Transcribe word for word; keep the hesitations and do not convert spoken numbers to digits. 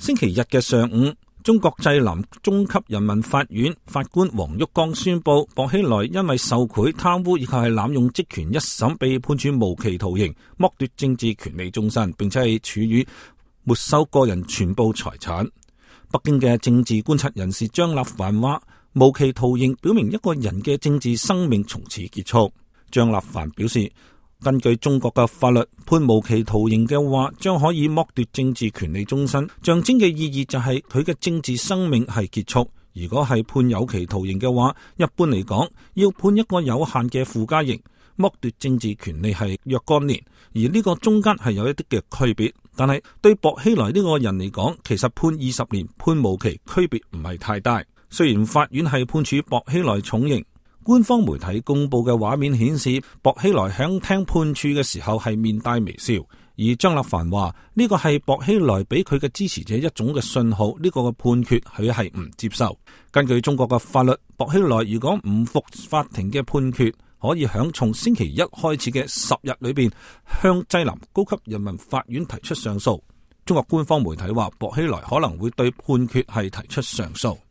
星期日嘅上午，中國濟南中級人民法院法官黃旭光宣布，薄熙來因為受賄、貪污以及係濫用職權一審被判處無期徒刑，剝奪政治權利終身，並且係處以沒收個人全部財產。北京嘅政治觀察人士張立凡話，無期徒刑表明一個人嘅政治生命從此結束。張立凡表示，根據中國嘅法律，判無期徒刑嘅話，將可以剝奪政治權利終身，象徵嘅意義就係佢嘅政治生命係結束。如果係判有期徒刑嘅話，一般嚟講，要判一個有限嘅附加刑，剝奪政治權利係若干年，而呢個中間係有一啲嘅區別。但係對薄熙來呢個人嚟講，其實判二十年、判無期區別唔係太大。雖然法院係判處薄熙來重刑，官方媒體公布嘅畫面顯示，薄熙來響聽判處嘅時候係面帶微笑。而張立凡話呢個係薄熙來俾佢嘅支持者一種嘅信號，呢個嘅判決佢係唔接受。根據中國嘅法律，薄熙來如果唔服法庭嘅判決，可以響從星期一開始嘅十日裏邊向濟南高級人民法院提出上訴。中國官方媒體話，薄熙來可能會對判決係提出上訴。